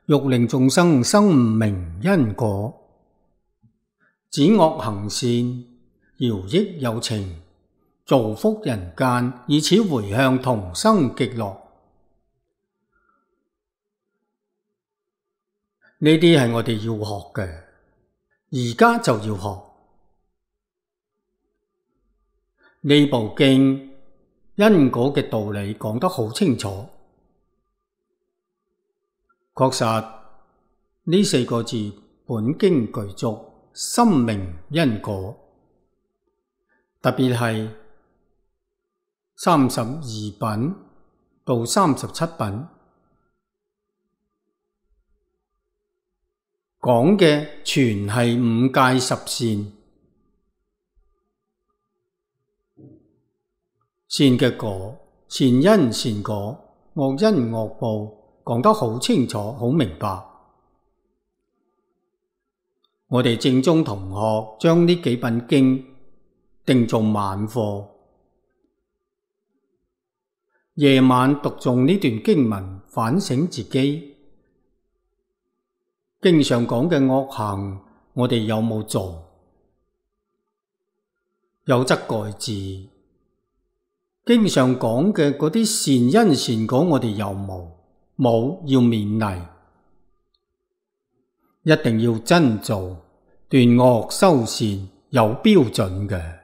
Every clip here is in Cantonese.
欲令眾生生悟明因果，止惡行善，饒益有情，造福人間，以此回向同生極樂。呢啲係我哋要學嘅，而家就要學。呢部經因果嘅道理講得好清楚，確實呢4個字本經具足，深明因果。特別係32品到37品講嘅全係5戒10善，善嘅果，善因善果，惡因惡報，講得好清楚好明白。我哋正宗同學將呢幾品經定做晚課，夜晚讀誦呢段經文，反省自己。經上講嘅惡行，我哋有冇做？有則改之。經上講嘅嗰啲善因善果，我哋有冇？冇，要勉勵。一定要真做，斷惡修善，有標準嘅。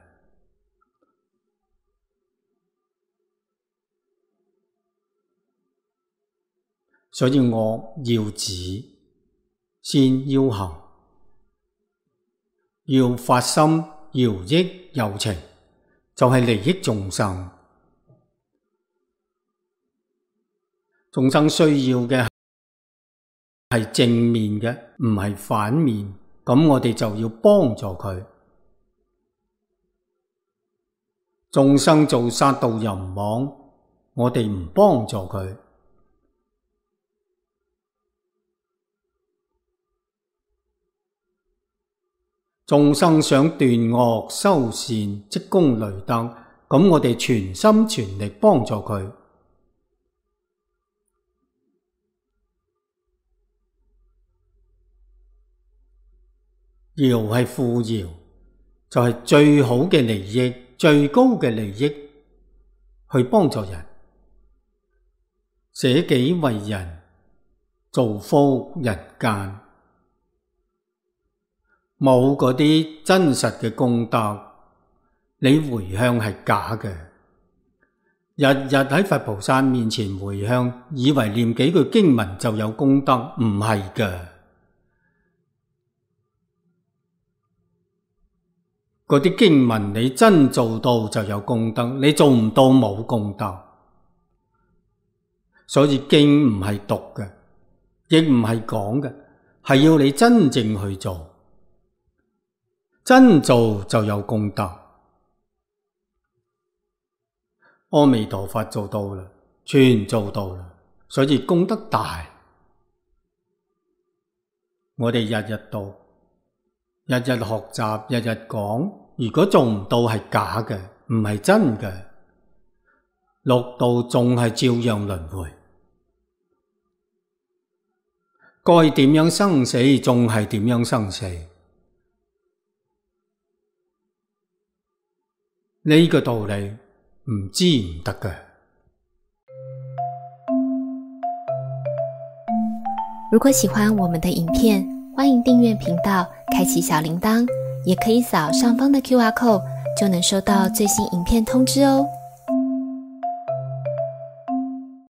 所以惡要止，善要行，要發心饒益有情，就係利益眾生。眾生需要嘅係正面嘅，唔係反面，咁我哋就要幫助佢。眾生做殺盜淫妄，我哋唔幫助佢。眾生想斷惡修善，積功累德，咁我哋全心全力幫助佢。饒係富饒，就係最好嘅利益，最高嘅利益，去幫助人，捨己為人，造福人間。冇嗰啲真實嘅功德，你回向係假嘅。日日喺佛菩薩面前回向，以為念幾句經文就有功德，唔係嘅。嗰啲經文你真做到就有功德，你做唔到冇功德。所以經唔係讀嘅，亦唔係講嘅，係要你真正去做。真做就有功德。阿彌陀佛做到啦，全做到啦，所以功德大。我哋日日讀，日日學習，日日講，如果做唔到係假嘅，唔係真嘅，六道仲係照樣輪迴，該點樣生死仲係點樣生死。呢個道理唔知唔得嘅。如果喜歡我們的影片，歡迎訂閱頻道，開啟小鈴鐺，也可以掃上方的QR code，就能收到最新影片通知哦。